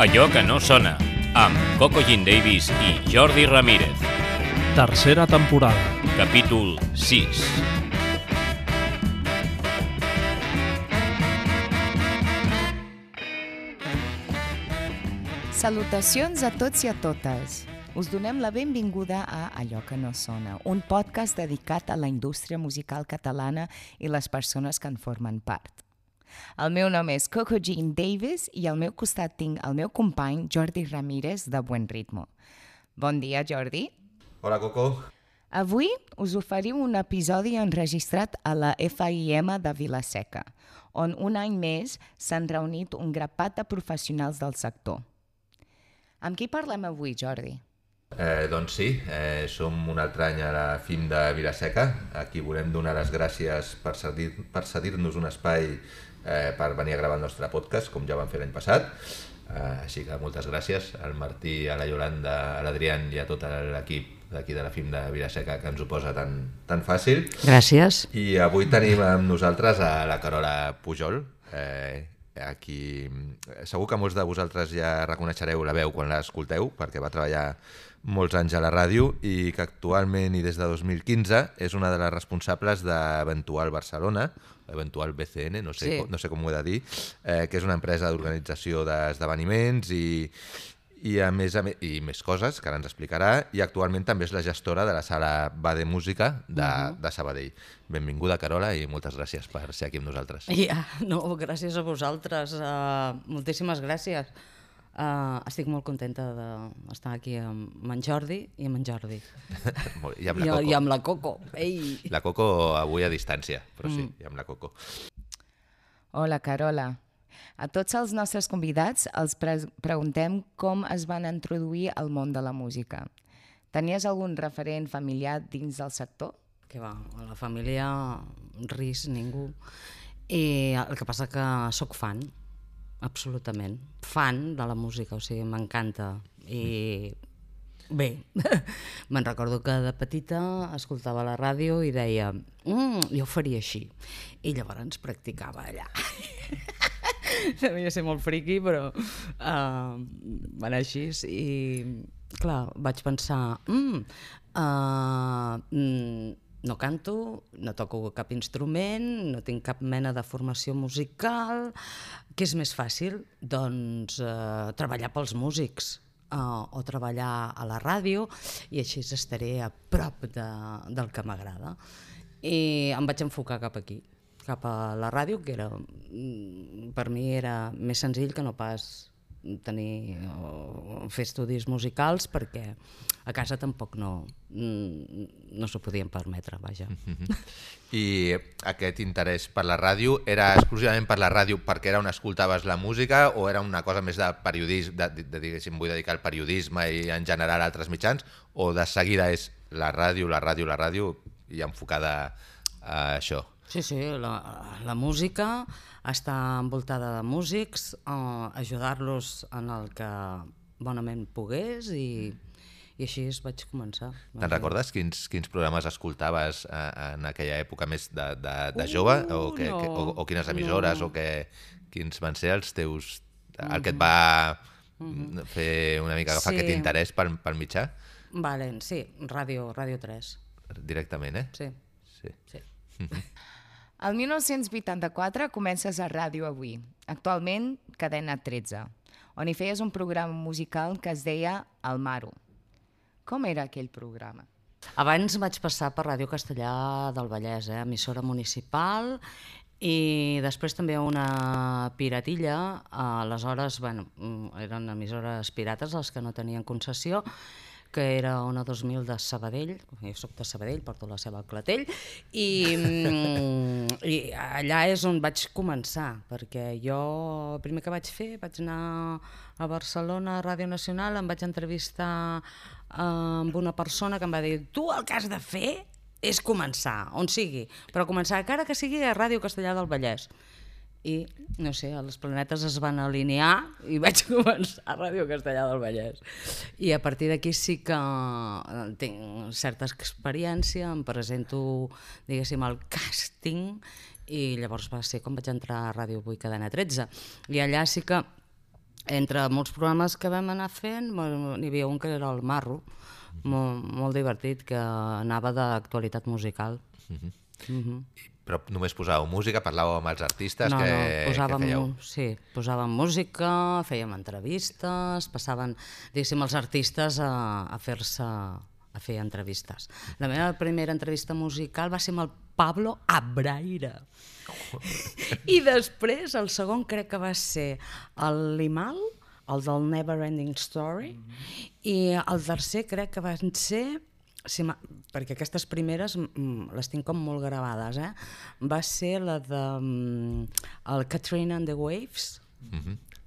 Allò que no sona, amb Coco Jean Davis i Jordi Ramírez. Tercera temporada. Capítol 6. Salutacions a tots i a totes. Us donem la benvinguda a Allò que no sona, un podcast dedicat a la indústria musical catalana i les persones que en formen part. El meu nom és Coco Jean Davis i al meu costat tinc el meu company Jordi Ramírez de Buen Ritmo. Bon dia, Jordi. Hola, Coco. Avui us oferim un episodi enregistrat a la FIM de Vila-seca, on un any més s'han reunit un grapat de professionals del sector. Amb qui parlem avui, Jordi? Doncs sí, som un altre any a la FIM de Vila-seca. Aquí volem donar les gràcies per cedir-nos un espai per venir a gravar el nostre podcast, com ja vam fer l'any passat. Així que moltes gràcies al Martí, a la Yolanda, a l'Adrián i a tot l'equip d'aquí de la FIM de Vila-seca que ens ho posa tan fàcil. Gràcies. I avui tenim amb nosaltres a la Carola Pujol. Aquí segur que molts de vosaltres ja reconeixereu la veu quan l'escolteu, perquè va treballar molts anys a la ràdio i que actualment i des de 2015 és una de les responsables d'Eventual Barcelona, Eventual BCN, no sé com ho he de dir, que és una empresa d'organització d'esdeveniments i més coses que ara ens explicarà, i actualment també és la gestora de la sala Bade Música de Sabadell. Benvinguda, Carola, i moltes gràcies per ser aquí amb nosaltres. Gràcies a vosaltres, moltíssimes gràcies. Estic molt contenta d'estar aquí amb en Jordi i amb en Jordi. I amb la Coco. Ei. La Coco avui a distància, però sí, i amb la Coco. Hola, Carola. A tots els nostres convidats els preguntem com es van introduir al món de la música. Tenies algun referent familiar dins del sector? Que va, a la família ris, ningú. I el que passa que sóc fan, absolutament. Fan de la música, o sigui, m'encanta. I bé, me'n recordo que de petita escoltava la ràdio i deia jo ho faria així. I llavors practicava allà. Devia ser molt friqui, però va anar així i clar, vaig pensar no canto, no toco cap instrument, no tinc cap mena de formació musical, què és més fàcil? Doncs treballar pels músics o treballar a la ràdio i així estaré a prop del que m'agrada. I em vaig enfocar cap aquí, cap a la ràdio, que per mi era més senzill que no pas fer estudis musicals, perquè a casa tampoc no s'ho podien permetre, vaja. I aquest interès per la ràdio era exclusivament per la ràdio perquè era on escoltaves la música, o era una cosa més de periodisme, diguéssim, vull dedicar al periodisme i en general a altres mitjans, o de seguida és la ràdio i enfocada a això? Sí, la música, estar envoltada de músics, ajudar-los en el que bonament pogués i així vaig començar. Te'n recordes quins programes escoltaves en aquella època més de jove? O quines emissores? O quins van ser els teus... el que et va fer una mica agafar aquest interès pel mitjà? Sí, Ràdio 3. Directament, eh? Sí. El 1984 comences a Ràdio Avui, actualment Cadena 13, on hi feies un programa musical que es deia El Maro. Com era aquell programa? Abans vaig passar per Ràdio Castellar del Vallès, emissora municipal, i després també una piratilla. Aleshores, eren emissores pirates les que no tenien concessió, que era Ona 2000 de Sabadell, jo soc de Sabadell, porto la seva al clatell, i allà és on vaig començar, perquè jo el primer que vaig fer, vaig anar a Barcelona, a Ràdio Nacional, em vaig entrevistar amb una persona que em va dir: tu el que has de fer és començar, on sigui, però començar encara que sigui a Ràdio Castellar del Vallès. I, no sé, els planetes es van alinear i vaig començar a Ràdio Castellar del Vallès. I a partir d'aquí sí que tinc certa experiència, em presento, diguéssim, al càsting, i llavors va ser com vaig entrar a Ràdio Avui Cadena 13. I allà sí que entre molts programes que vam anar fent, n'hi havia un que era el Marro, molt divertit, que anava d'actualitat musical. Però només posàveu música, parlàveu amb els artistes, No, què fèieu? posàvem música, fèiem entrevistes, passaven, diguéssim, els artistes a fer entrevistes. La meva primera entrevista musical va ser amb el Pablo Abraira. I després, el segon crec que va ser el Limal, el del Never Ending Story, i el tercer crec que van ser, perquè aquestes primeres les tinc com molt gravades, va ser la de el Katrina and the Waves.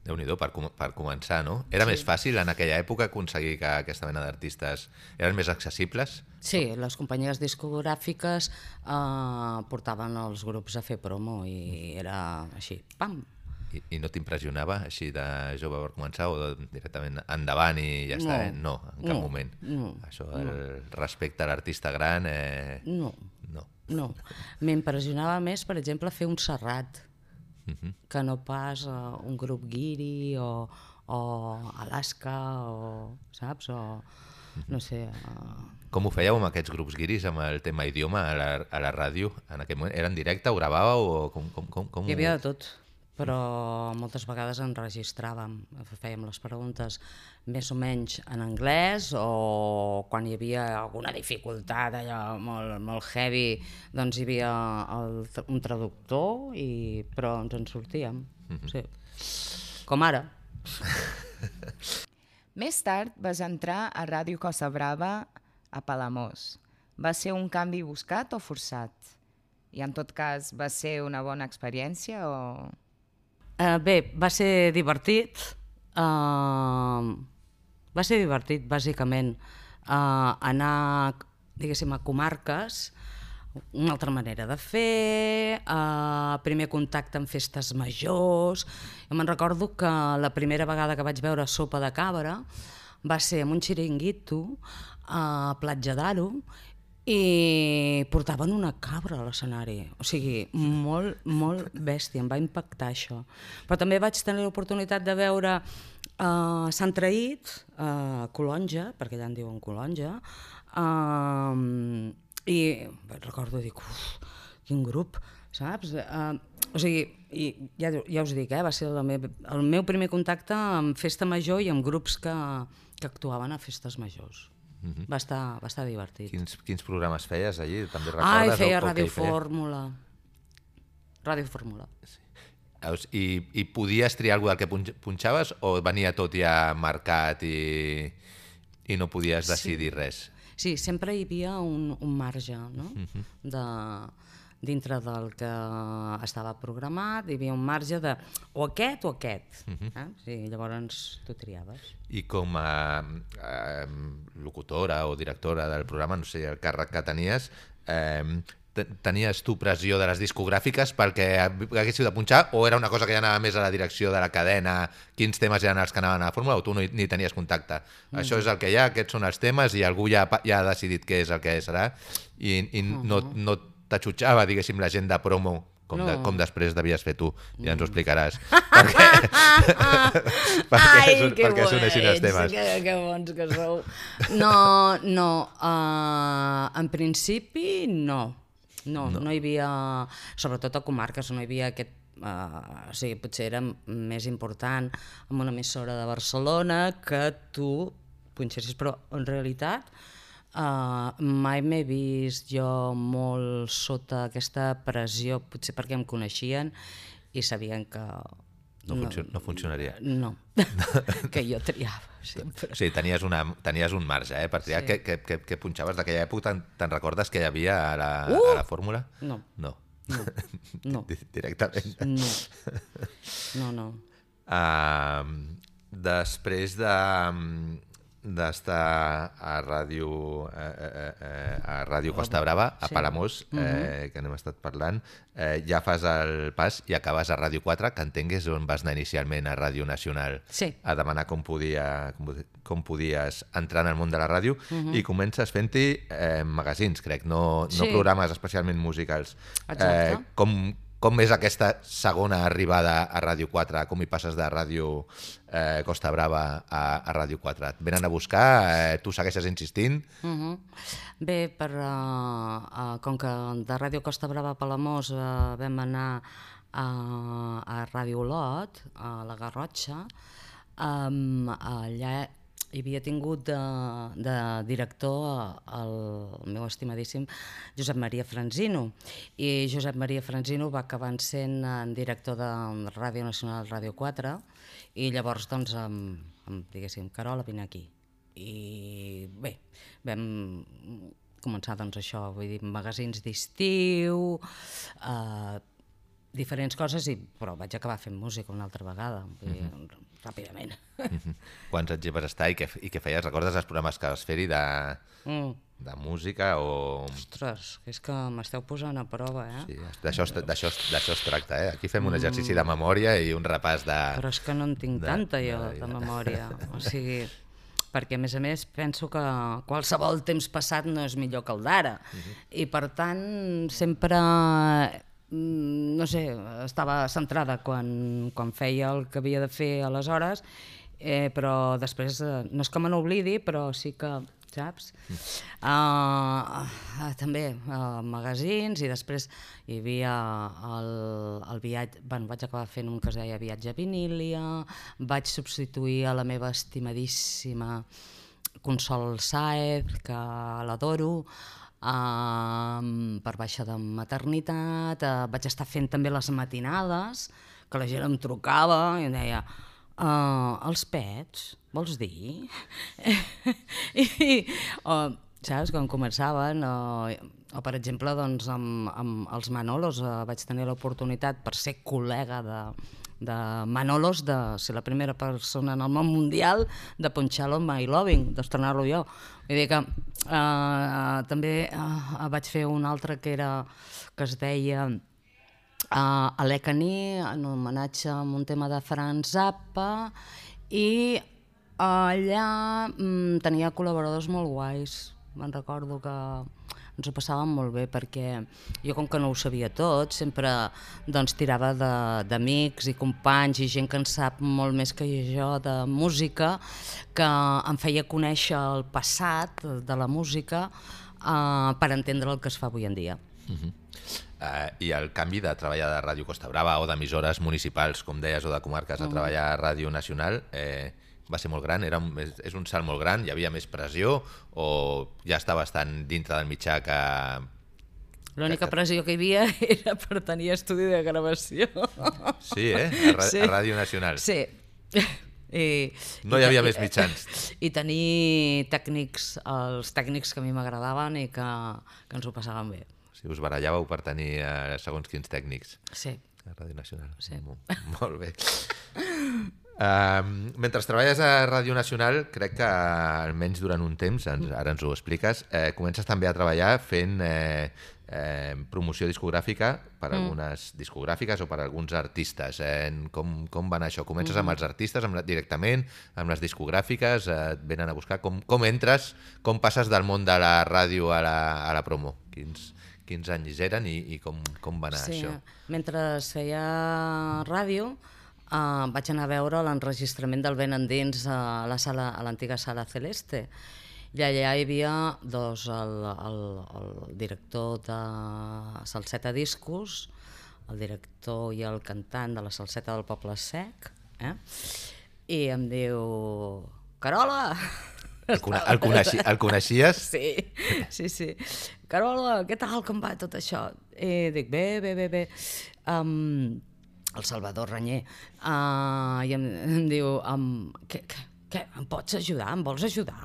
Déu-n'hi-do, per començar, no? Era més fàcil en aquella època aconseguir que aquesta mena d'artistes eren més accessibles? Sí, les companyies discogràfiques portaven els grups a fer promo i era així, pam! I no t'impressionava així de jove per començar o directament endavant i ja està? No, en cap moment. Això, el respecte a l'artista gran... No. M'impressionava més, per exemple, fer un Serrat, que no pas un grup guiri o Alaska, saps? O no sé... Com ho fèieu amb aquests grups guiris, amb el tema idioma a la ràdio? En aquell moment era en directe, ho gravàveu o com... Hi havia de tot, però moltes vegades enregistràvem, fèiem les preguntes més o menys en anglès, o quan hi havia alguna dificultat allò molt heavy, doncs hi havia un traductor, però ens en sortíem, sí. Com ara. Més tard vas entrar a Ràdio Costa Brava a Palamós. Va ser un canvi buscat o forçat? I en tot cas, va ser una bona experiència o...? Bé, va ser divertit. Va ser divertit, bàsicament, anar, diguéssim, a comarques, una altra manera de fer, primer contacte amb festes majors. Jo me'n recordo que la primera vegada que vaig veure Sopa de Cabra va ser en un xiringuito a Platja d'Aro i portaven una cabra a l'escenari, o sigui, molt, molt bèstia, em va impactar això. Però també vaig tenir l'oportunitat de veure Sant Traït, Colonja, perquè allà en diuen Colonja, i recordo, dic, quin grup, saps? O sigui, ja us dic, va ser el meu primer contacte amb festa major i amb grups que actuaven a festes majors. Va estar divertit. Quins programes feies allí? També recordes? Feia Ràdio Fórmula. Ràdio Fórmula. I podies triar alguna del que punxaves o venia tot ja marcat i no podies decidir res? Sí, sempre hi havia un marge, no? Dintre del que estava programat, hi havia un marge de o aquest o aquest. Sí, llavors tu triaves. I com a locutora o directora del programa, no sé el càrrec que tenies, tenies tu pressió de les discogràfiques perquè haguéssiu de punxar o era una cosa que ja anava més a la direcció de la cadena, quins temes eren els que anaven a la fórmula o tu ni tenies contacte? Això és el que hi ha, aquests són els temes i algú ja ha decidit què és el que serà i no t'atxutxava, diguéssim, la gent de promo com després devies fer tu, ja ens ho explicaràs. perquè s'uneixin els temes. Que bons que sou. No, en principi no hi havia, sobretot a comarques, no hi havia aquest, o sigui, potser era més important en una emissora de Barcelona que tu punxessis, però en realitat mai m'he vist jo molt sota aquesta pressió, potser perquè em coneixien i sabien que... No funcionaria. No, que jo triava sempre. Sí, tenies un marge per triar. Què punxaves d'aquella època? Te'n recordes que hi havia a la fórmula? No. Directament? No. Després d'estar a Ràdio Costa Brava, a Palamós, que n'hem estat parlant, ja fas el pas i acabes a Ràdio 4, que entengues on vas anar inicialment a Ràdio Nacional a demanar com podies entrar en el món de la ràdio i comences fent-hi magazins, crec, no programes especialment musicals. Exacte. Com és aquesta segona arribada a Ràdio 4? Com hi passes de Ràdio Costa Brava a Ràdio 4? Et venen a buscar? Tu segueixes insistint? Bé, com que de Ràdio Costa Brava a Palamós vam anar a Ràdio Olot, a la Garrotxa, allà hi havia tingut de director el meu estimadíssim Josep Maria Franzino, i Josep Maria Franzino va acabar sent director de Ràdio Nacional, Ràdio 4, i llavors doncs diguéssim, Carola, vine aquí. I bé, vam començar doncs això, vull dir, magazins d'estiu, diferents coses, però vaig acabar fent música una altra vegada, ràpidament. Quants anys hi vas estar i què feies? Recordes els programes que vas fer-hi de música o...? Ostres, és que m'esteu posant a prova, eh? Sí, d'això es tracta, eh? Aquí fem un exercici de memòria i un repàs de... Però és que no en tinc tanta jo de memòria, o sigui... perquè, a més, penso que qualsevol temps passat no és millor que el d'ara, i per tant sempre... no sé, estava centrada quan feia el que havia de fer aleshores, però després, no és que me n'oblidi, però sí que, saps? També magazins, i després hi havia el viatge, vaig acabar fent un que es deia Viatge a Vinília, vaig substituir a la meva estimadíssima Consol Sáez, que l'adoro, per baixa de maternitat, vaig estar fent també les matinades, que la gent em trucava i em deia els pets, vols dir? Saps, quan començaven, o per exemple doncs, amb els Manolos vaig tenir l'oportunitat, per ser col·lega de Manolos, de ser la primera persona en el món mundial de punxar-lo en My Loving, d'estrenar-lo jo. Vull dir que també vaig fer un altre que es deia Alekani, en homenatge a un tema de Franz Zappa, i allà tenia col·laboradors molt guais. Me'n recordo que ens ho passàvem molt bé, perquè jo, com que no ho sabia tot, sempre tirava d'amics i companys i gent que en sap molt més que jo de música, que em feia conèixer el passat de la música per entendre el que es fa avui en dia. I el canvi de treballar de Ràdio Costa Brava o d'emissores municipals, com deies, o de comarques, a treballar a Ràdio Nacional, va ser molt gran? És un salt molt gran? Hi havia més pressió o ja estaves tan dintre del mitjà que... L'única pressió que hi havia era per tenir estudi de gravació. Sí, a Ràdio Nacional. Sí. No hi havia més mitjans. I tenir tècnics, els tècnics que a mi m'agradaven i que ens ho passàvem bé. Sí, us barallàveu per tenir segons quins tècnics. Sí. A Ràdio Nacional. Sí. Molt bé. Mentre treballes a Ràdio Nacional, crec que almenys durant un temps, ara ens ho expliques, comences també a treballar fent promoció discogràfica per algunes discogràfiques o per alguns artistes. Com va anar això? Comences amb els artistes directament, amb les discogràfiques, et venen a buscar? Com entres, com passes del món de la ràdio a la promo? Quins anys eren i com va anar això? Mentre feia ràdio, vaig anar a veure l'enregistrament del Vent Endins a l'antiga Sala Celeste, i allà hi havia el director de Salseta Discos, el director i el cantant de la Salseta del Poble Sec, i em diu: Carola! El coneixies? Sí. Carola, què tal, com va tot això? I dic, bé. El Salvador Renyer, i em diu: què, em pots ajudar? Em vols ajudar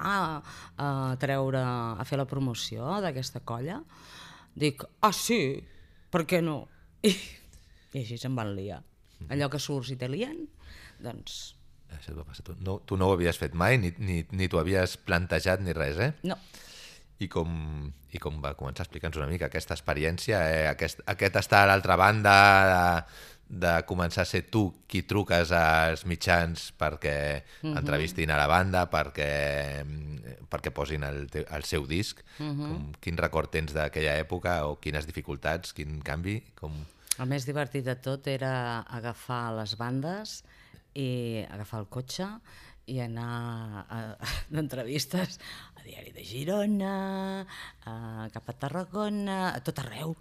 a fer la promoció d'aquesta colla? Dic, sí, per què no? I així se'n van liar. Allò que surts i te lien, doncs... Això et va passar. Tu no ho havies fet mai, ni t'ho havies plantejat ni res, eh? No. I com va començar? Explica'ns una mica aquesta experiència, aquest estar a l'altra banda de començar a ser tu qui truques als mitjans perquè entrevistin a la banda, perquè posin el seu disc. Quin record tens d'aquella època o quines dificultats, quin canvi? El més divertit de tot era agafar les bandes i agafar el cotxe i anar d'entrevistes a Diari de Girona, cap a Tarragona, a tot arreu.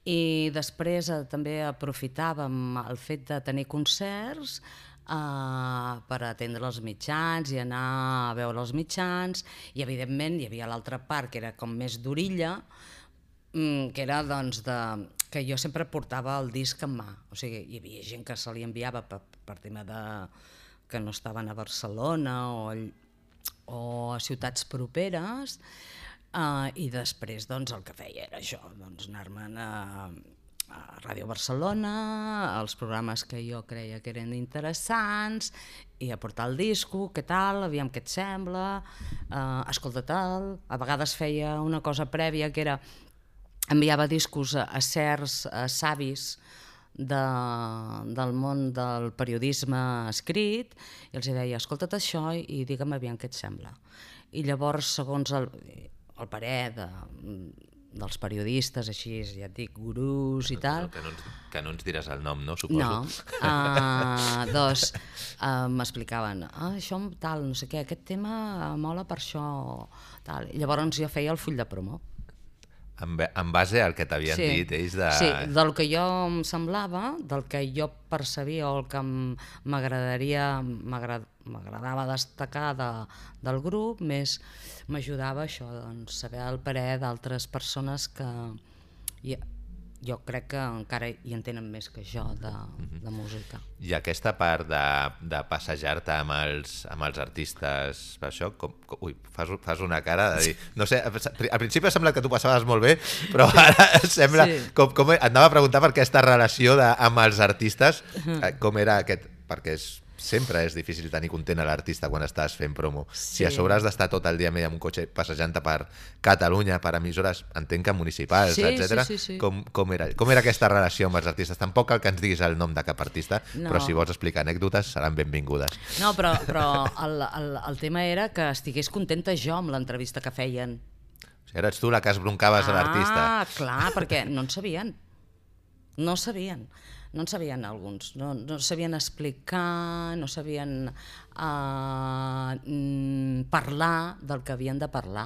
I després també aprofitàvem el fet de tenir concerts per atendre els mitjans i anar a veure els mitjans, i evidentment hi havia l'altra part que era com més d'orilla, que era doncs que jo sempre portava el disc en mà, o sigui, hi havia gent que se li enviava per tema de que no estaven a Barcelona o a ciutats properes, i després doncs el que feia era això, doncs anar-me'n a Ràdio Barcelona, als programes que jo creia que eren interessants, i aportar el disco, què tal, aviam què et sembla, escolta tal. A vegades feia una cosa prèvia que era enviava discos a certs savis del món del periodisme escrit i els deia, escolta't això i digue'm aviam què et sembla. I llavors, segons el parer dels periodistes, així, ja et dic, gurús i tal... Que no ens diràs el nom, no? Suposo. No. Doncs m'explicaven, això tal, no sé què, aquest tema mola per això, tal. I llavors jo feia el full de promo. En base al que t'havien dit ells de... Sí, del que jo em semblava, del que jo percebia o el que m'agradava destacar del grup, més m'ajudava això, doncs, saber el parer d'altres persones que jo crec que encara hi entenen més que jo de música. I aquesta part de passejar-te amb els artistes, per això, fas una cara de dir... No sé, al principi ha semblat que tu passaves molt bé, però ara sembla... Com et anava a preguntar per aquesta relació amb els artistes, com era aquest... Perquè sempre és difícil tenir content a l'artista quan estàs fent promo. Si a sobre has d'estar tot el dia amb un cotxe passejant-te per Catalunya, per emissores, entenc que municipals, etc. Com era aquesta relació amb els artistes? Tampoc cal que ens diguis el nom de cap artista, però si vols explicar anècdotes seran benvingudes. No, però el tema era que estigués contenta jo amb l'entrevista que feien. O sigui, eres tu la que esbroncaves a l'artista. Clar, perquè no en sabien. No en sabien alguns, no sabien explicar, no sabien parlar del que havien de parlar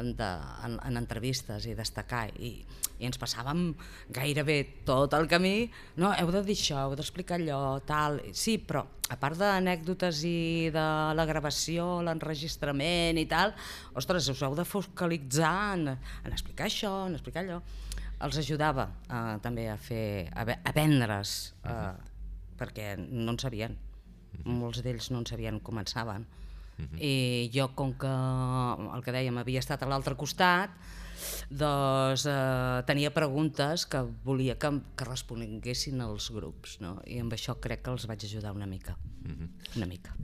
en entrevistes i destacar, i ens passàvem gairebé tot el camí, no, heu de dir això, heu d'explicar allò, tal, sí, però a part d'anècdotes i de la gravació, l'enregistrament i tal, ostres, us heu de focalitzar en explicar això, en explicar allò. Els ajudava també a vendre's, perquè no en sabien, molts d'ells no en sabien, començaven. I jo, com que el que dèiem havia estat a l'altre costat, doncs tenia preguntes que volia que responguessin els grups, no? I amb això crec que els vaig ajudar una mica. Una mica.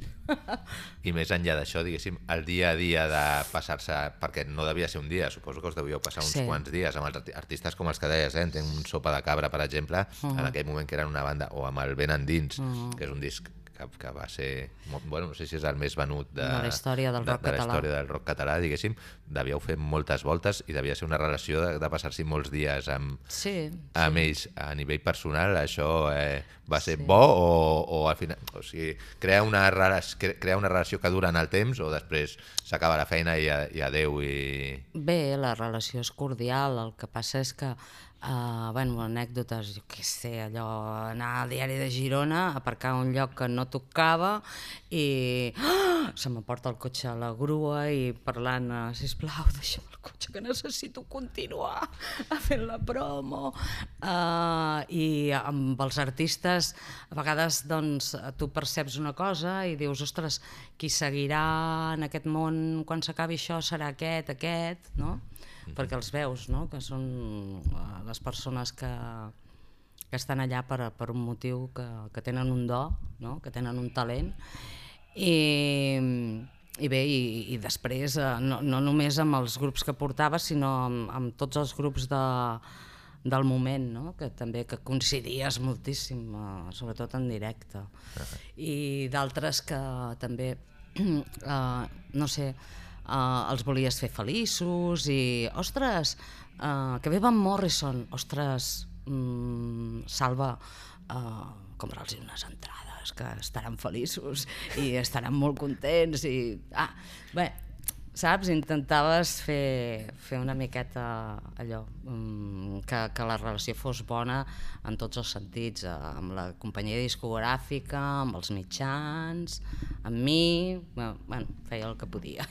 I més enllà d'això, diguéssim, el dia a dia de passar-se, perquè no devia ser un dia, suposo que us devíeu passar uns quants dies amb els artistes com els que deies, entenc un Sopa de Cabra, per exemple, en aquell moment que eren una banda, o amb el Ben Endins, que és un disc que va ser, bueno, no sé si és el més venut de la història del rock català, diguéssim, devíeu fer moltes voltes i devia ser una relació de passar-s'hi molts dies amb ells. A nivell personal, això va ser bo o al final, o sigui, crea una relació que dura en el temps o després s'acaba la feina i adeu? Bé, la relació és cordial, el que passa és que anècdotes, jo què sé, allò, anar al Diari de Girona, aparcar a un lloc que no tocava i se m'aporta el cotxe a la grua i parlant, sisplau, deixa'm el cotxe que necessito continuar fent la promo. I amb els artistes a vegades doncs tu perceps una cosa i dius, ostres, qui seguirà en aquest món quan s'acabi això serà aquest, no? Perquè els veus, no? Que són les persones que estan allà per un motiu, que tenen un do, no? Que tenen un talent, i bé, i després no només amb els grups que portava, sinó amb tots els grups del moment, no? Que també que coincidies moltíssim, sobretot en directe, i d'altres que també, no sé, els volies fer feliços i, ostres, que ve Van Morrison, ostres, Salva, comprar-los unes entrades, que estaran feliços i estaran molt contents i... Bé, saps? Intentaves fer una miqueta allò, que la relació fos bona en tots els sentits, amb la companyia discogràfica, amb els mitjans, amb mi, bueno, feia el que podia.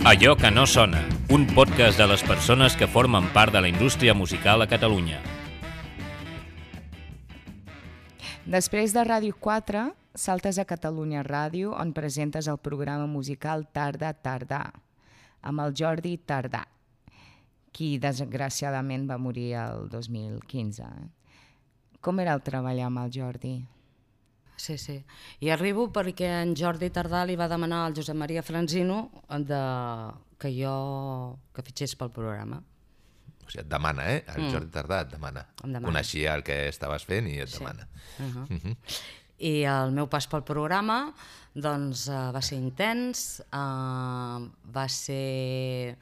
Allò que no sona, un podcast de les persones que formen part de la indústria musical a Catalunya. Després de Ràdio 4, saltes a Catalunya Ràdio, on presentes el programa musical Tarda Tardà, amb el Jordi Tardà, qui desgraciadament va morir el 2015. Com era el treballar amb el Jordi? Sí. I arribo perquè en Jordi Tardà li va demanar al Josep Maria Franzino que fitxés pel programa. O sigui, et demana, El Jordi Tardà et demana. Coneixia el que estaves fent i et demana. I el meu pas pel programa doncs, va ser intens, va ser...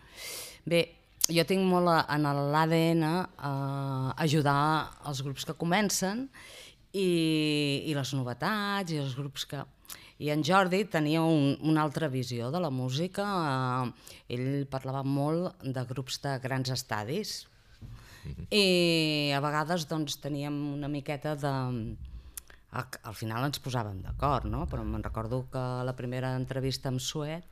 Bé, jo tinc molt en l'ADN ajudar els grups que comencen i les novetats i els grups que... I en Jordi tenia una altra visió de la música. Ell parlava molt de grups de grans estadis i a vegades doncs, teníem una miqueta de... Al final ens posàvem d'acord, no? Però me'n recordo que la primera entrevista amb Suet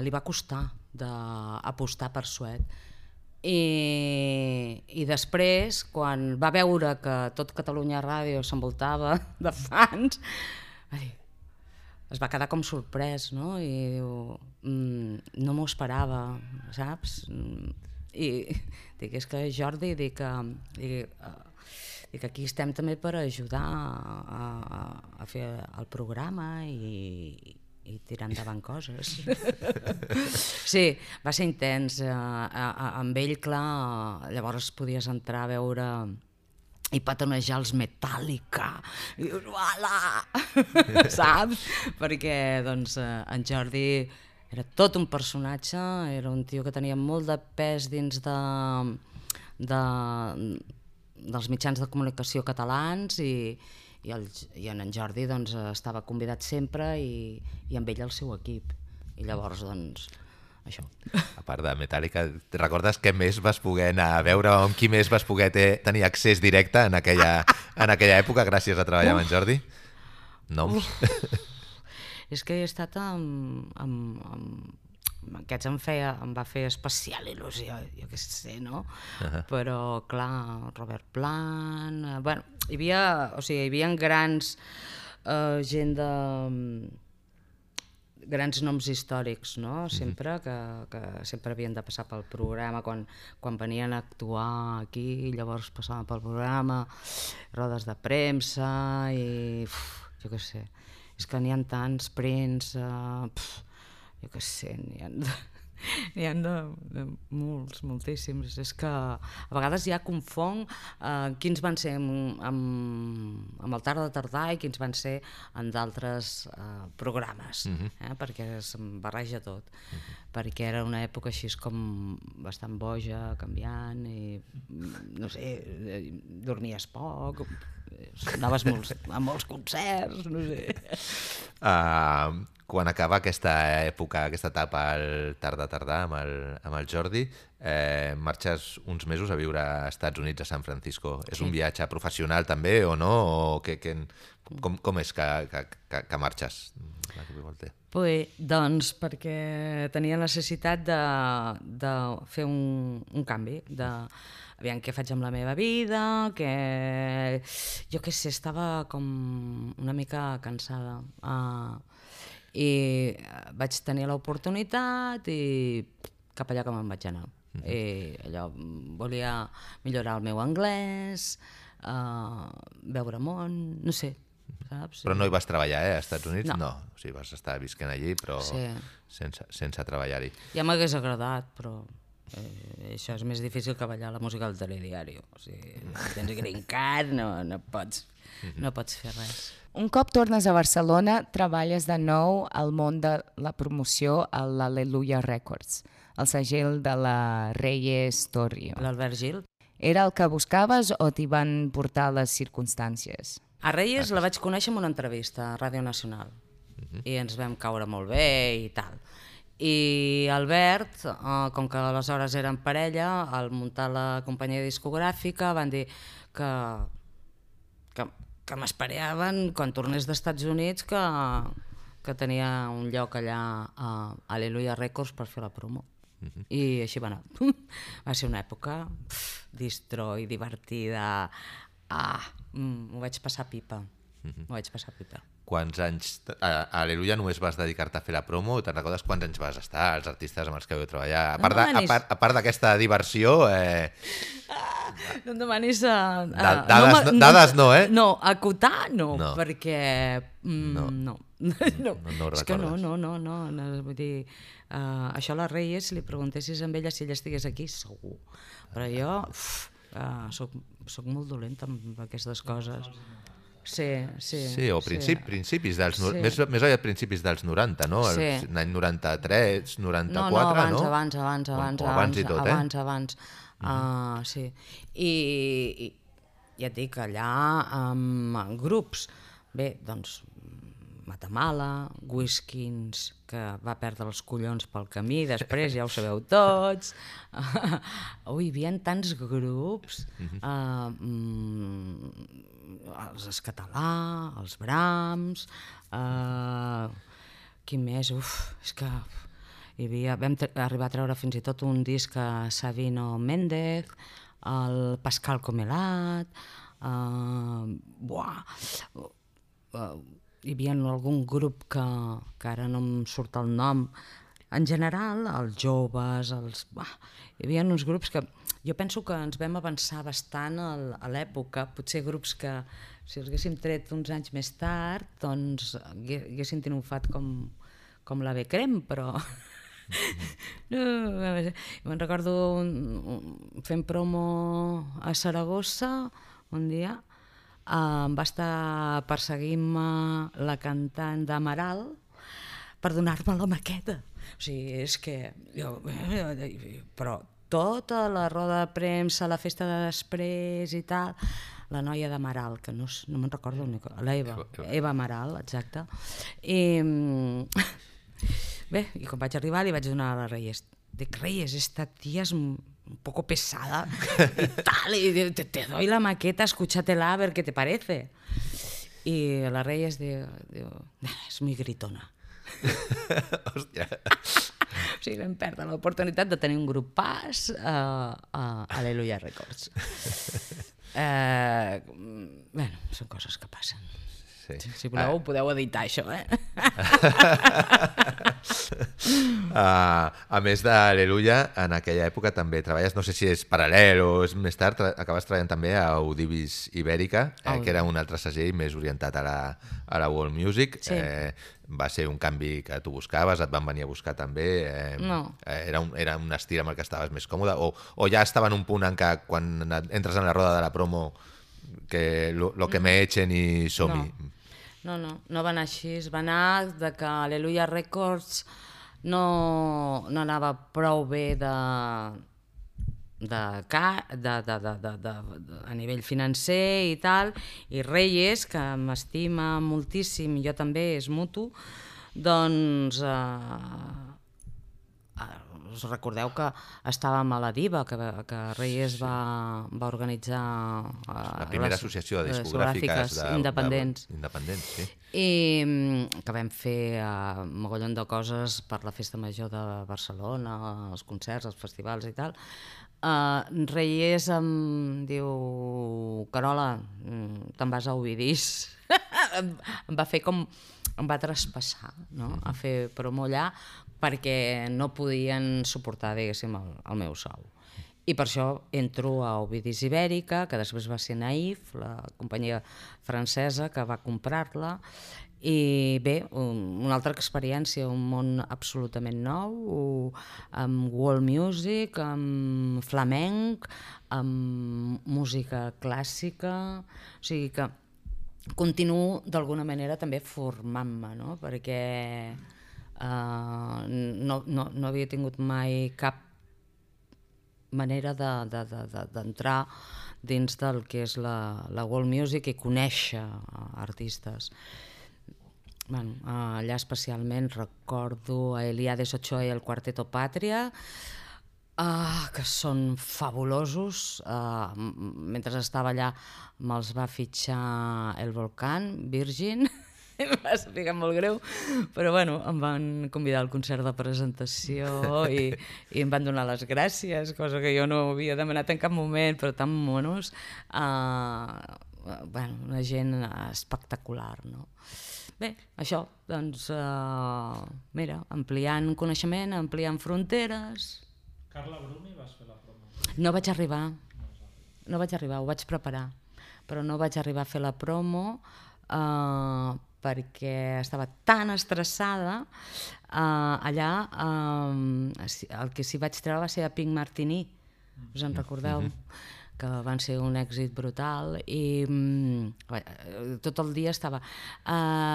li va costar d'apostar per Suet. I després, quan va veure que tot Catalunya Ràdio s'envoltava de fans, es va quedar com sorprès, no? I diu, no m'ho esperava, saps? I dic, és que Jordi, dic aquí estem també per ajudar a fer el programa i tirar endavant coses. Sí, va ser intens. Amb ell, clar, llavors podies entrar a veure i petonejar els Metallica. I dius, uala! Saps? Perquè, doncs, en Jordi era tot un personatge, era un tio que tenia molt de pes dins dels mitjans de comunicació catalans i en Jordi doncs, estava convidat sempre i amb ell el seu equip. I llavors, doncs, això. A part de Metallica, recordes què més vas poder anar a veure, amb qui més vas poder tenir accés directe en aquella època gràcies a treballar amb en Jordi? Noms? És que he estat amb aquests em va fer especial il·lusió, jo què sé, no? Però, clar, Robert Plant... Bueno, hi havia grans gent de... grans noms històrics, no? Sempre, que sempre havien de passar pel programa, quan venien a actuar aquí, llavors passaven pel programa, rodes de premsa i... jo què sé, és que n'hi ha tants prints, jo què sé, n'hi ha de molts, moltíssims. És que a vegades ja confonc quins van ser amb el Tarda Tardà i quins van ser en d'altres programes, perquè se'm barreja tot. Perquè era una època així com bastant boja, canviant, i no sé, dormies poc, anaves a molts concerts, no sé. Quan acaba aquesta època, aquesta etapa al Tarda Tardà amb el Jordi, marxes uns mesos a viure a Estats Units, a San Francisco. És un viatge professional també o no? Com és que marxes? Doncs perquè tenia necessitat de fer un canvi, aviam què faig amb la meva vida, que jo què sé, estava com una mica cansada. I vaig tenir l'oportunitat i cap allà que me'n vaig anar. I allò, volia millorar el meu anglès, veure món, no sé, saps? Però no hi vas treballar, als Estats Units? No. O sigui, vas estar visquent allí, però sense treballar-hi. Ja m'hagués agradat, però Això és més difícil que ballar la música del telediari. O sigui, si tens green card, no pots fer res. Un cop tornes a Barcelona, treballes de nou al món de la promoció a l'Aleluia Records, el segell de la Reyes Torrio. L'Albert Gil. Era el que buscaves o t'hi van portar les circumstàncies? A Reyes la vaig conèixer en una entrevista a Ràdio Nacional i ens vam caure molt bé i tal. I Albert, com que aleshores eren parella, al muntar la companyia discogràfica van dir que m'esperaven quan tornés dels Estats Units que tenia un lloc allà a Aleluia Records per fer la promo. I així va anar. Va ser una època distro i divertida. M'ho vaig passar pipa. Quants anys a Aleluia només vas dedicar-te a fer la promo? Te'n recordes quants anys vas estar, els artistes amb els que vau treballar? A part d'aquesta diversió... No em demanis... Dades no, eh? No, acotar no, perquè... No És que no. Vull dir, això a la Reyes, si li preguntessis a ella si ella estigués aquí, segur. Però jo soc molt dolenta amb aquestes coses. Sí, o principis dels... Més aviat principis dels 90, no? L'any 93, 94, no? Abans i tot, eh? Abans. Sí. I ja et dic, allà amb grups, bé, doncs Matamala, Whiskins, que va perdre els collons pel camí, després ja ho sabeu tots. Hi havia tants grups, els Escatalà, els Brahms, qui més? És que vam arribar a treure fins i tot un disc a Sabino Méndez, el Pascal Comelat, hi havia algun grup que ara no em surt el nom, en general, els joves, hi havia uns grups que jo penso que ens vam avançar bastant a l'època, potser grups que si els haguéssim tret uns anys més tard, doncs haguessin triomfat com la Becrem, però... Me'n recordo fent promo a Saragossa un dia, em va estar perseguint-me la cantant d'Amaral per donar-me la maqueta. O sigui, és que... Però tota la roda de premsa, la festa de després i tal, la noia d'Amaral, que no me'n recordo, l'Eva Amaral, exacte. Bé, i quan vaig arribar li vaig donar a la Reyes. Dic, Reyes, esta tía es un poco pesada y tal, y te doy la maqueta, escúchatela a ver qué te parece. Y la Reyes diu, es muy gritona. Hòstia. O sigui, vam perdre l'oportunitat de tenir un grupàs a Aleluia Records. Bé, són coses que passen. Si voleu, podeu editar això, eh? A més d'Aleluia, en aquella època també treballes, no sé si és paral·lel o és més tard, acabes treballant també a Audivis Ibèrica, que era un altre segell més orientat a la world music. Sí. Va ser un canvi que tu buscaves, et van venir a buscar també? No. Era un estil amb el que estaves més còmode? O ja estava en un punt en què quan entres en la roda de la promo que lo que me echen i som-hi? No va anar així, va anar de que Aleluia Records no anava prou bé a nivell financer i tal, i Reyes, que m'estima moltíssim, i jo també, és mutu, doncs us recordeu que estàvem a la Diva, que Reyes va organitzar la primera associació de discogràfiques independents, sí. I que vam fer un mogollon de coses per la Festa Major de Barcelona, els concerts, els festivals i tal. Reyes em diu, Carola, te'n vas a Ovidís. Em va fer com... em va traspassar, no? A fer promo allà, perquè no podien suportar, diguéssim, el meu sou. I per això entro a Ovidis Ibèrica, que després va ser Naïf, la companyia francesa que va comprar-la, I bé, una altra experiència, un món absolutament nou, amb world music, amb flamenc, amb música clàssica, o sigui que continuo d'alguna manera també formant-me, no? Perquè no havia tingut mai cap manera d'entrar dins del que és la world music i conèixer artistes. Bueno, allà especialment recordo a Eliades Ochoa i el Quarteto Pàtria, que són fabulosos. Mentre estava allà me'ls va fitxar el Volcán, Virgin, va ser molt greu, però bueno, em van convidar al concert de presentació i em van donar les gràcies, cosa que jo no havia demanat en cap moment, però tan monos. Bueno, una gent espectacular, no? Bé, això, doncs, mira, ampliant coneixement, ampliant fronteres. Carla Bruni, vas fer la promo? No vaig arribar, ho vaig preparar, però no vaig arribar a fer la promo perquè estava tan estressada. Allà el que sí vaig treure va ser a Pink Martini, us en recordeu? Que van ser un èxit brutal i tot el dia estava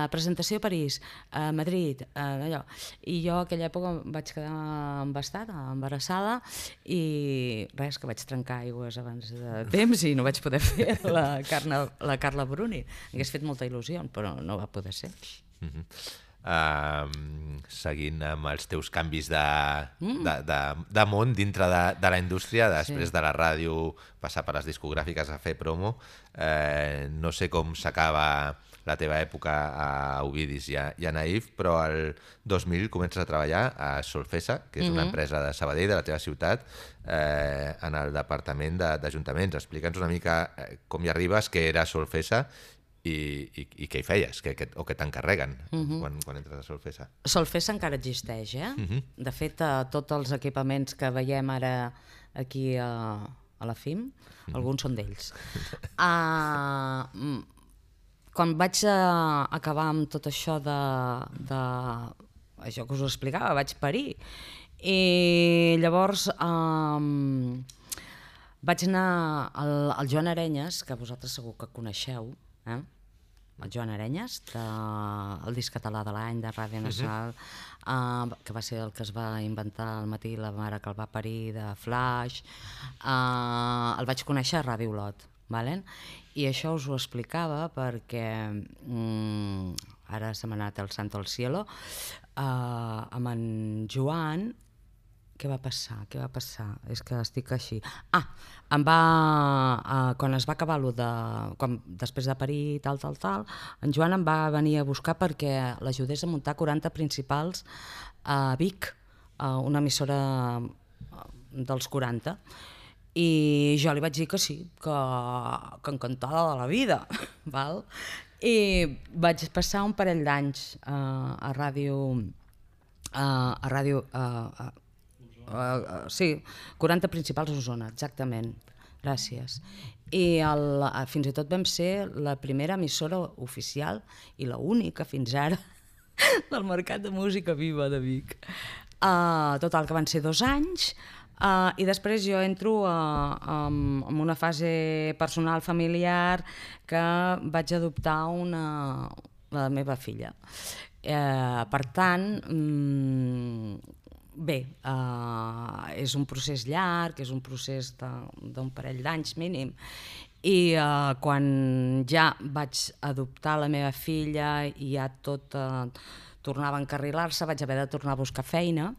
presentació a París, a Madrid, allò. I jo a aquella època vaig quedar embarassada i res, que vaig trencar aigües abans de temps i no vaig poder fer la Carla Bruni. Hagués fet molta il·lusió, però no va poder ser. Seguint amb els teus canvis de món dintre de la indústria, després de la ràdio, passar per les discogràfiques a fer promo, no sé com s'acaba la teva època a Ovidis i a Naïf, però el 2000 comences a treballar a Solfessa, que és una empresa de Sabadell, de la teva ciutat, en el departament d'ajuntaments. Explica'ns una mica com hi arribes, què era Solfessa i què hi feies, o què t'encarreguen quan entres a Solfessa. Solfessa encara existeix, De fet, tots els equipaments que veiem ara aquí a la FIM, alguns són d'ells. Quan vaig acabar amb tot això això que us ho explicava, vaig parir. I llavors vaig anar al Joan Arenyes, que vosaltres segur que coneixeu, el Joan Arenyes, el disc català de l'any de Ràdio Nacional, que va ser el que es va inventar al matí la mare que el va parir, de Flash. El vaig conèixer a Ràdio Olot, i això us ho explicava perquè ara se m'ha anat el santo al cielo, amb en Joan. Què va passar? És que estic així. Quan es va acabar després de parir tal, en Joan em va venir a buscar perquè l'ajudés a muntar 40 principals a Vic, una emissora dels 40. I jo li vaig dir que sí, que encantada de la vida. I vaig passar un parell d'anys a ràdio... Sí, 40 principals a Osona, exactament. Gràcies. I fins i tot vam ser la primera emissora oficial i l'única fins ara del mercat de música viva de Vic. Total, que van ser 2 anys i després jo entro en una fase personal familiar que vaig adoptar la meva filla. Per tant, bé, és un procés llarg, és un procés d'un parell d'anys mínim, i quan ja vaig adoptar la meva filla i ja tot tornava a encarrilar-se, vaig haver de tornar a buscar feina,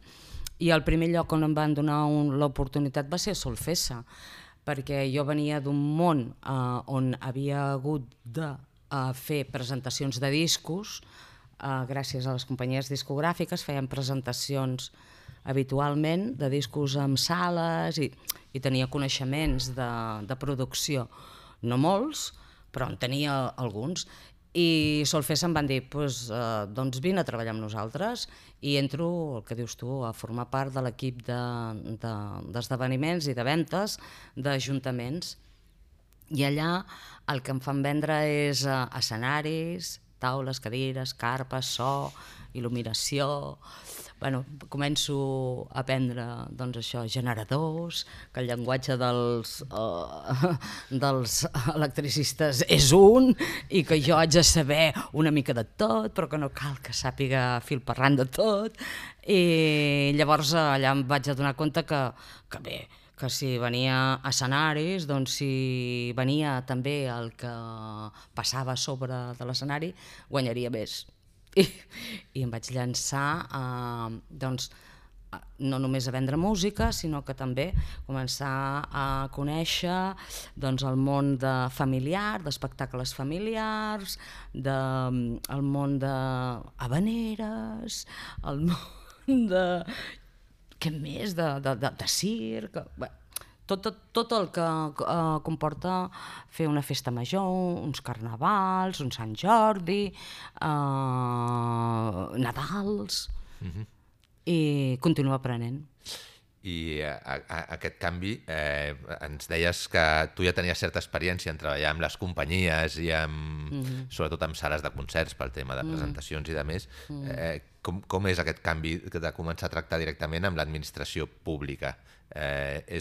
i el primer lloc on em van donar l'oportunitat va ser Solfessa, perquè jo venia d'un món on havia hagut de fer presentacions de discos. Gràcies a les companyies discogràfiques feien presentacions habitualment de discos amb sales i tenia coneixements de producció. No molts, però en tenia alguns. I Solfessa em van dir, doncs vine a treballar amb nosaltres, i entro, el que dius tu, a formar part de l'equip d'esdeveniments i de ventes d'ajuntaments. I allà el que em fan vendre és escenaris, taules, cadires, carpes, so, il·luminació... Bueno, començo a aprendre doncs, això, generadors, que el llenguatge dels electricistes és un i que jo haig de saber una mica de tot, però que no cal que sàpiga fil per ran de tot. I llavors allà em vaig adonar compte que bé, que si venia a escenaris, doncs si venia també el que passava a sobre de l'escenari, guanyaria més. I em vaig llançar doncs, no només a vendre música, sinó que també començar a conèixer doncs, el món familiar, d'espectacles familiars, el món d'habaneres, el món de... què més? De circ... Tot el que comporta fer una festa major, uns carnavals, un Sant Jordi, Nadals, i continuo aprenent. I aquest canvi, ens deies que tu ja tenies certa experiència en treballar amb les companyies i sobretot amb sales de concerts pel tema de presentacions i de més. Com és aquest canvi de començar a tractar directament amb l'administració pública?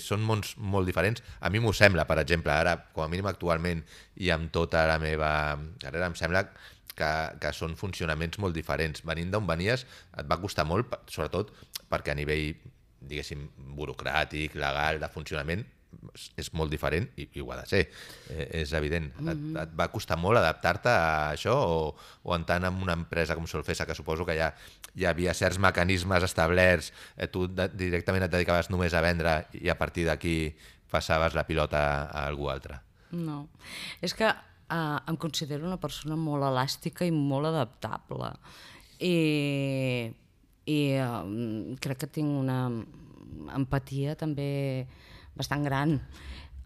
Són mons molt diferents. A mi m'ho sembla, per exemple, ara, com a mínim actualment i amb tota la meva carrera, em sembla que són funcionaments molt diferents. Venint d'on venies, et va costar molt, sobretot perquè a nivell, diguéssim, burocràtic, legal, de funcionament, és molt diferent i ho ha de ser, és evident. Et va costar molt adaptar-te a això o en tant en una empresa com Solfessa, que suposo que ja hi havia certs mecanismes establerts, tu directament et dedicaves només a vendre i a partir d'aquí passaves la pilota a algú altre? No, és que em considero una persona molt elàstica i molt adaptable i crec que tinc una empatia també bastant gran.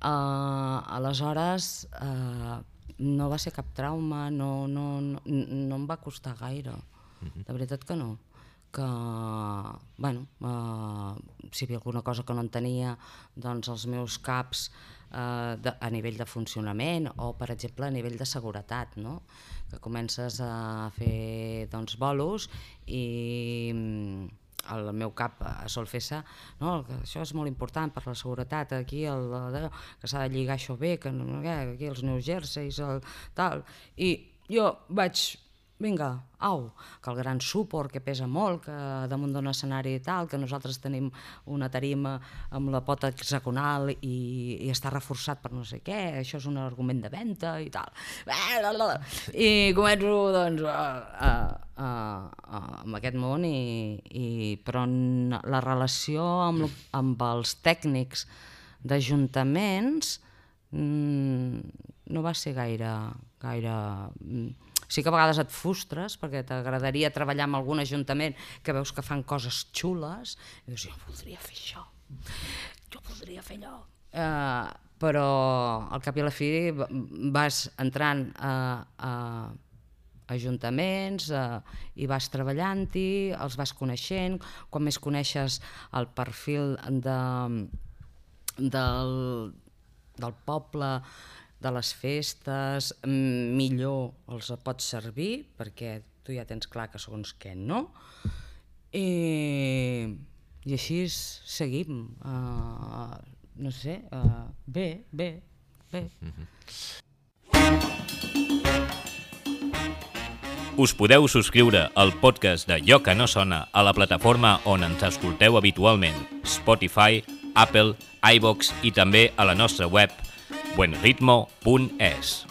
Aleshores, no va ser cap trauma, no em va costar gaire, de veritat que no. Que, bueno, si hi havia alguna cosa que no entenia, doncs els meus caps a nivell de funcionament o, per exemple, a nivell de seguretat, no? Que comences a fer doncs, bolos i el meu cap a Solfessa, no, que això és molt important per la seguretat, aquí que s'ha de lligar això bé, que aquí els New Jerseys, tal, i jo vaig, vinga, au, que el gran suport que pesa molt, que damunt d'un escenari i tal, que nosaltres tenim una tarima amb la pota hexagonal i està reforçat per no sé què, això és un argument de venda i tal. I començo, doncs, amb aquest món, però la relació amb els tècnics d'ajuntaments no va ser gaire... Sí que a vegades et frustres perquè t'agradaria treballar amb algun ajuntament que veus que fan coses xules i dius, jo voldria fer això, jo voldria fer allò. Però al cap i a la fi vas entrant a ajuntaments i vas treballant-hi, els vas coneixent, quan més coneixes el perfil del poble, de les festes, millor els pots servir, perquè tu ja tens clar que segons què no, i així seguim, no sé, bé. Us podeu subscriure al podcast de Allò que no sona a la plataforma on ens escolteu habitualment, Spotify, Apple, iVoox i també a la nostra web buenritmo.es.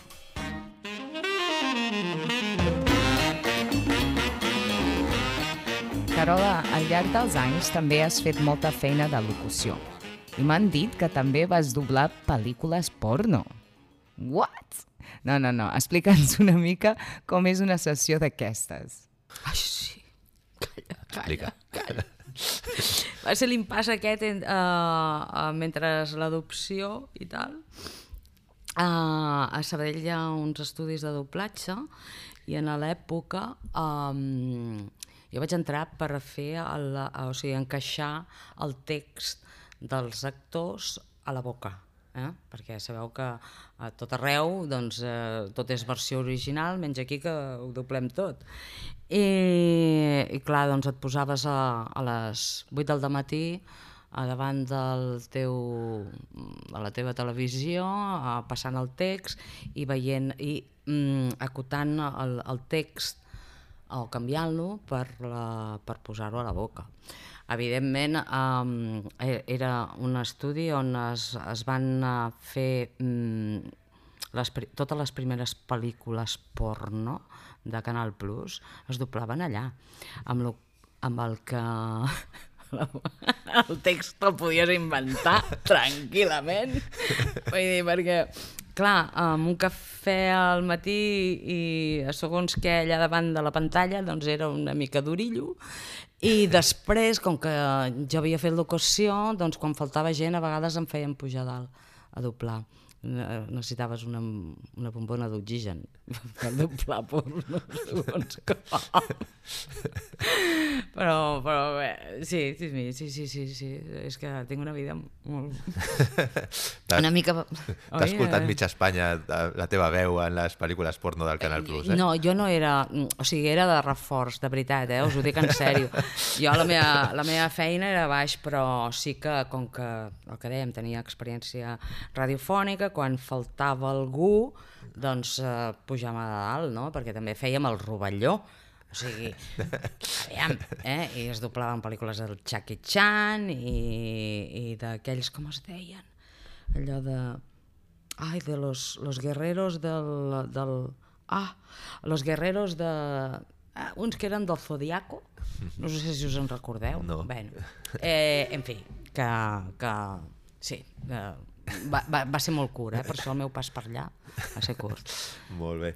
Carola, al llarg dels anys també has fet molta feina de locució. I m'han dit que també vas doblar pel·lícules porno. What? No, explica'ns una mica com és una sessió d'aquestes. Ai, sí, Explica. Va ser l'impàs aquest mentre l'adopció i tal. A Sabadell hi ha uns estudis de doblatge i en l'època jo vaig entrar per fer, encaixar el text dels actors a la boca. perquè sabeu que a tot arreu doncs, tot és versió original, menys aquí que ho doblem tot. I clar, doncs et posaves a les 8 del dematí davant de la teva televisió, passant el text i veient i acotant el text o canviant-lo per posar-ho a la boca. Evidentment, era un estudi on es van fer totes les primeres pel·lícules porno de Canal Plus, es doblaven allà, amb el que el text te'l podies inventar tranquil·lament. Vull dir, perquè, clar, amb un cafè al matí i segons què allà davant de la pantalla, doncs era una mica d'orillo. I després, com que jo havia fet locució, doncs quan faltava gent a vegades em feien pujar dalt a doblar. Necessitaves una bombona d'oxigen per doblar porno, segons com. Però bé, sí, és que tinc una vida molt... una mica... T'ha escoltat mitja Espanya la teva veu en les pel·lícules porno del Canal Plus, eh? No, jo no era... O sigui, era de reforç, de veritat, us ho dic en sèrio. Jo la meva feina era baix, però sí que, com que, el que dèiem, tenia experiència radiofònica, quan faltava algú, doncs pujàvem a dalt, no? Perquè també fèiem el rovelló. O sigui, aviam, i es doblaven pel·lícules del Jackie Chan i d'aquells, com es deien? Allò de... Ai, de los guerreros los guerreros de... uns que eren del Zodiaco, no sé si us en recordeu. No. Bueno, en fi, que sí, va ser molt curt, per això el meu pas per allà va ser curt. Molt bé.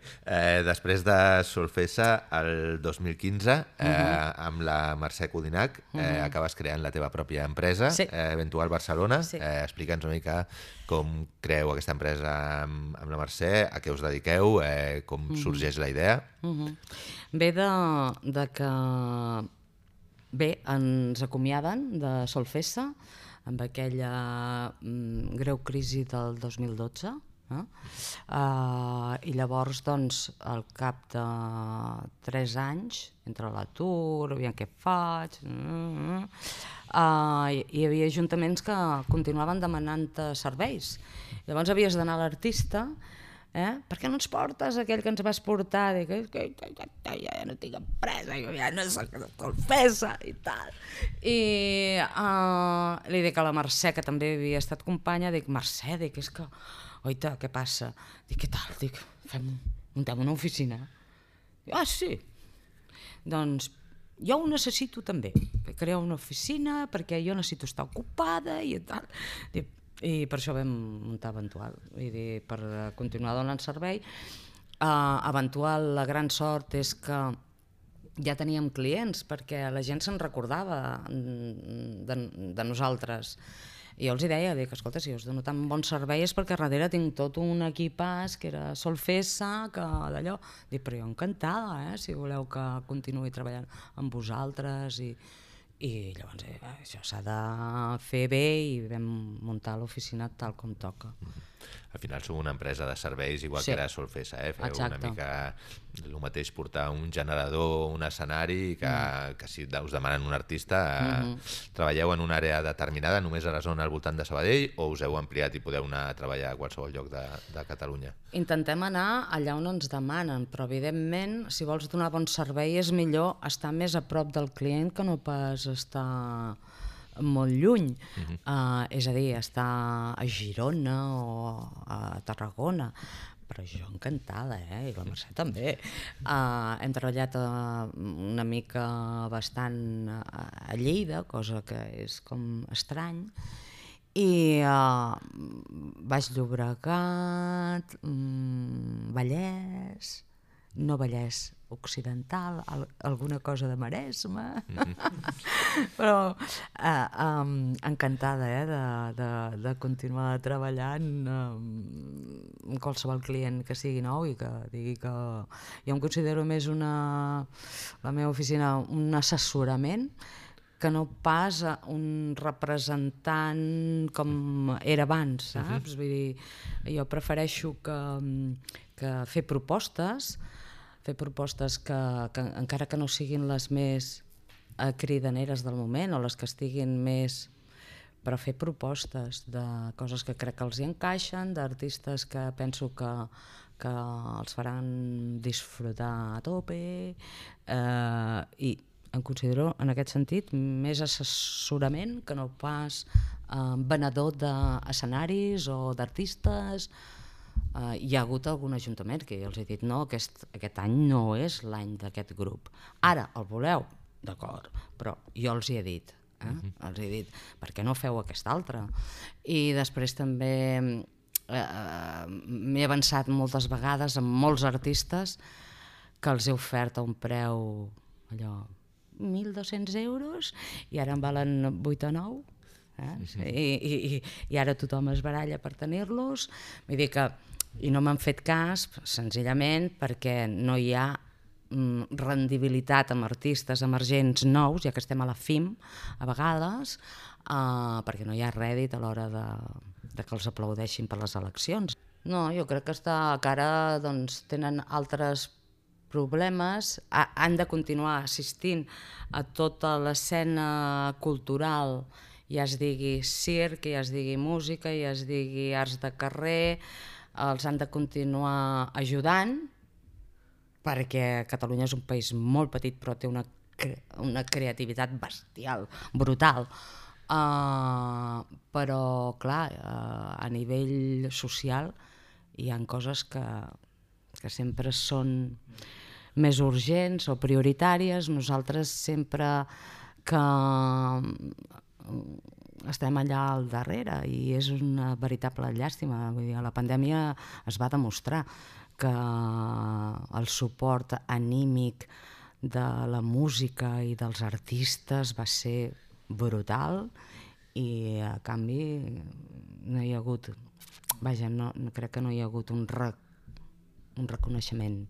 Després de Solfessa, el 2015, amb la Mercè Codinac, acabes creant la teva pròpia empresa, Eventual Barcelona. Explica'ns una mica com creeu aquesta empresa amb la Mercè, a què us dediqueu, com sorgeix la idea. Ve de que ens acomiaden de Solfessa amb aquella greu crisi del 2012, i llavors, doncs, al cap de 3 anys, entre l'atur, aviam què faig, hi havia ajuntaments que continuaven demanant serveis. Llavors havies d'anar a l'artista, per què no ens portes aquell que ens vas portar? Dic, ja no tinc empresa, ja no soc Solfessa i tal. I li dic a la Mercè, que també havia estat companya, dic, Mercè, és que, oita, què passa? Dic, què tal? Dic, muntem una oficina. Sí. Doncs jo ho necessito també, crear una oficina perquè jo necessito estar ocupada i tal. Dic, i per això vam muntar Eventual, per continuar donant servei. Eventual, la gran sort és que ja teníem clients, perquè la gent se'n recordava de nosaltres. I jo els deia, escolta, si us dono tan bon servei és perquè darrere tinc tot un equipàs que era Solfessa, que d'allò... Dic, però jo encantada, si voleu que continuï treballant amb vosaltres i llavors això s'ha de fer bé i vam muntar l'oficina tal com toca. Al final sou una empresa de serveis igual que era Solfessa, feu una mica el mateix, portar un generador, un escenari, que si us demanen un artista, treballeu en una àrea determinada, només a la zona al voltant de Sabadell, o us heu ampliat i podeu anar a treballar a qualsevol lloc de Catalunya? Intentem anar allà on ens demanen, però evidentment, si vols donar bon servei, és millor estar més a prop del client que no pas estar molt lluny, és a dir, estar a Girona o a Tarragona, però jo encantada, i la Mercè també. Hem treballat una mica bastant a Lleida, cosa que és com estrany, i Baix Llobregat, Vallès, no Vallès Occidental, alguna cosa de Maresme, però encantada de continuar treballant amb qualsevol client que sigui nou i que digui que jo em considero més la meva oficina un assessorament que no pas un representant com era abans, saps? Vull dir, jo prefereixo que fer propostes que encara que no siguin les més cridaneres del moment o les que estiguin més, però fer propostes de coses que crec que els hi encaixen, d'artistes que penso que els faran disfrutar a tope, i em considero en aquest sentit més assessorament que no pas venedor d'escenaris o d'artistes. Hi ha hagut algun ajuntament que jo els he dit no, aquest any no és l'any d'aquest grup. Ara el voleu? D'acord, però jo els hi he dit, els he dit, per què no feu aquest altre? I després també m'he avançat moltes vegades amb molts artistes que els he ofert a un preu allò 1.200 euros i ara en valen 8 o 9. I ara tothom es baralla per tenir-los. Vull dir que, i no m'han fet cas senzillament perquè no hi ha rendibilitat amb artistes emergents nous, ja que estem a la FIM a vegades, perquè no hi ha rèdit a l'hora de que els aplaudeixin per les eleccions. No, jo crec que ara doncs, tenen altres problemes, han de continuar assistint a tota l'escena cultural, ja es digui circ, ja es digui música, ja es digui arts de carrer, els han de continuar ajudant, perquè Catalunya és un país molt petit però té una creativitat bestial, brutal. Però, clar, a nivell social hi ha coses que sempre són més urgents o prioritàries. Nosaltres sempre que estem allà al darrere i és una veritable llàstima. Vull dir, a la pandèmia es va demostrar que el suport anímic de la música i dels artistes va ser brutal i a canvi no hi ha hagut, vaja, no crec que no hi ha hagut un reconeixement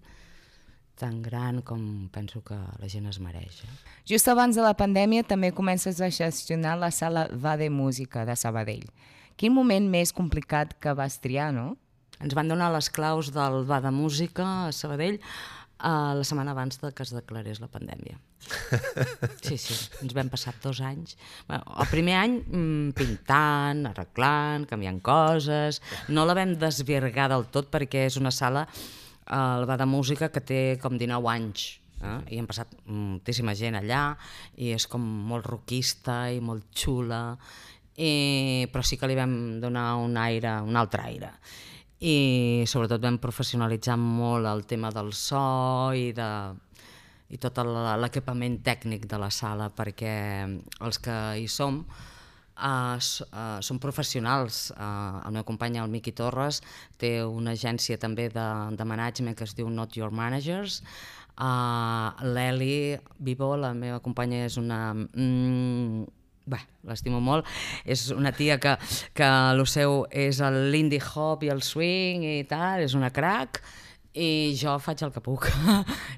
tan gran com penso que la gent es mereix. Just abans de la pandèmia també comences a gestionar la sala Va de Música de Sabadell. Quin moment més complicat que vas triar, no? Ens van donar les claus del Va de Música a Sabadell la setmana abans que es declarés la pandèmia. Sí, ens vam passar 2 anys. El primer any pintant, arreglant, canviant coses. No la vam desvirgar del tot perquè és una sala, el Va de Música, que té com 19 anys. I hem passat moltíssima gent allà i és com molt rockista i molt xula, però sí que li vam donar un altre aire. I sobretot vam professionalitzar molt el tema del so i tot l'equipament tècnic de la sala, perquè els que hi som són professionals. El meu company, el Miqui Torres, té una agència també de management que es diu Not Your Managers. L'Eli Vivo, la meva companya, és una... l'estimo molt, és una tia que el seu és l'indie hop i el swing i tal, és una crack, i jo faig el que puc.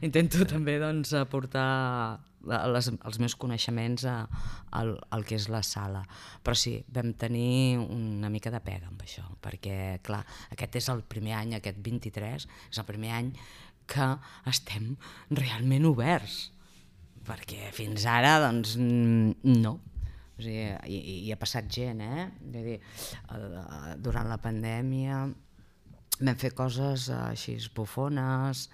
Intento també aportar els meus coneixements al que és la sala. Però sí, vam tenir una mica de pega amb això, perquè clar, aquest és el primer any, aquest 23, és el primer any que estem realment oberts, perquè fins ara doncs no. O sigui, hi ha passat gent, Vull dir, durant la pandèmia vam fer coses així bufones,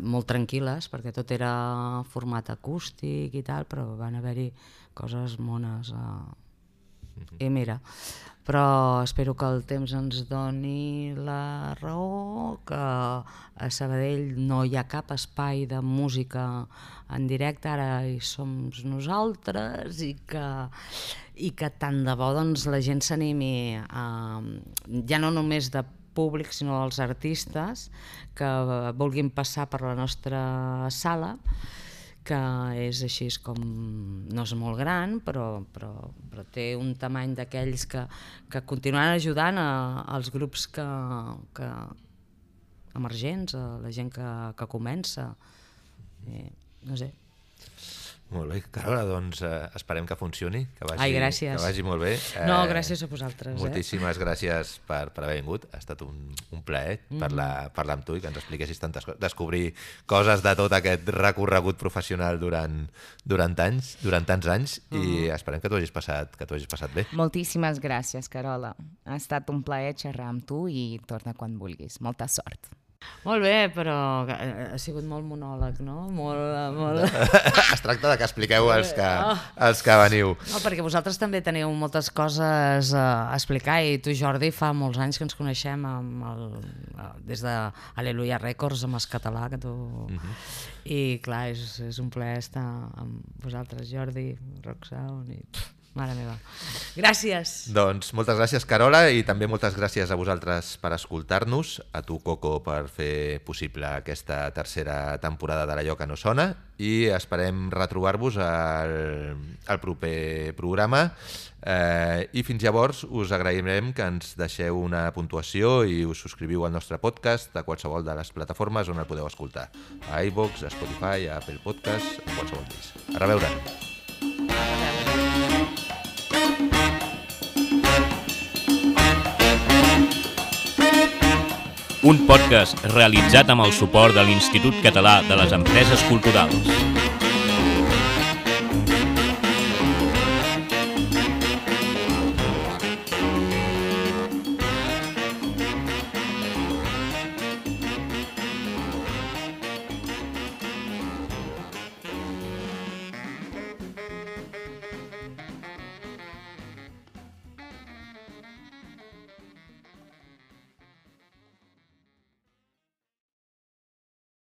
molt tranquil·les, perquè tot era format acústic i tal, però van haver-hi coses mones. I mira, però espero que el temps ens doni la raó, que a Sabadell no hi ha cap espai de música en directe, ara hi som nosaltres, i que tant de bo la gent s'animi, ja no només de públic, sinó els artistes que vulguin passar per la nostra sala, que és així com, no és molt gran, però té un tamany d'aquells que continuaran ajudant als grups emergents, a la gent que comença. No sé. Molt bé. Carola, doncs esperem que funcioni, que gràcies. Que vagi molt bé. No, gràcies a vosaltres. Moltíssimes gràcies per haver vingut. Ha estat un plaer parlar amb tu i que ens expliquessis tantes coses, descobrir coses de tot aquest recorregut professional durant tants anys i esperem que t'ho hagis passat bé. Moltíssimes gràcies, Carola. Ha estat un plaer xerrar amb tu i torna quan vulguis. Molta sort. Molt bé, però ha sigut molt monòleg, no? Molt... Es tracta de que expliqueu els que veniu. No, perquè vosaltres també teniu moltes coses a explicar i tu, Jordi, fa molts anys que ens coneixem des de Aleluia Records amb el català que tu... I clar, és un plaer estar amb vosaltres, Jordi, Rocksound i... Mare meva. Gràcies. Doncs moltes gràcies, Carola, i també moltes gràcies a vosaltres per escoltar-nos, a tu, Coco, per fer possible aquesta tercera temporada de l'Allò que no sona, i esperem retrobar-vos al proper programa. I fins llavors us agrairem que ens deixeu una puntuació i us subscriviu al nostre podcast a qualsevol de les plataformes on el podeu escoltar. A iVoox, a Spotify, a Apple Podcast, a qualsevol d'ells. A reveure! Un podcast realitzat amb el suport de l'Institut Català de les Empreses Culturals.